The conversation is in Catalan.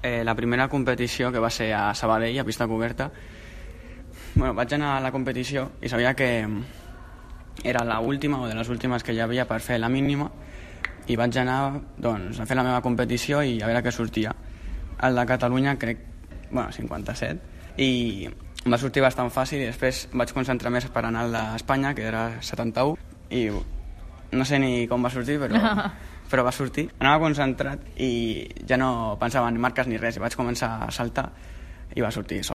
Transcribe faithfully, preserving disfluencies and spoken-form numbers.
Eh, la primera competició, que va ser a Sabadell, a pista coberta, bueno, vaig anar a la competició i sabia que era l'última o de les últimes que hi havia per fer la mínima, i vaig anar doncs, a fer la meva competició i a veure què sortia. El de Catalunya crec, bueno, cinquanta-set, i em va sortir bastant fàcil, i després vaig concentrar més per anar al d'Espanya, que era setanta-u, i no sé ni com va sortir, però, però va sortir. Anava concentrat i ja no pensava en marques ni res, i vaig començar a saltar i va sortir sol.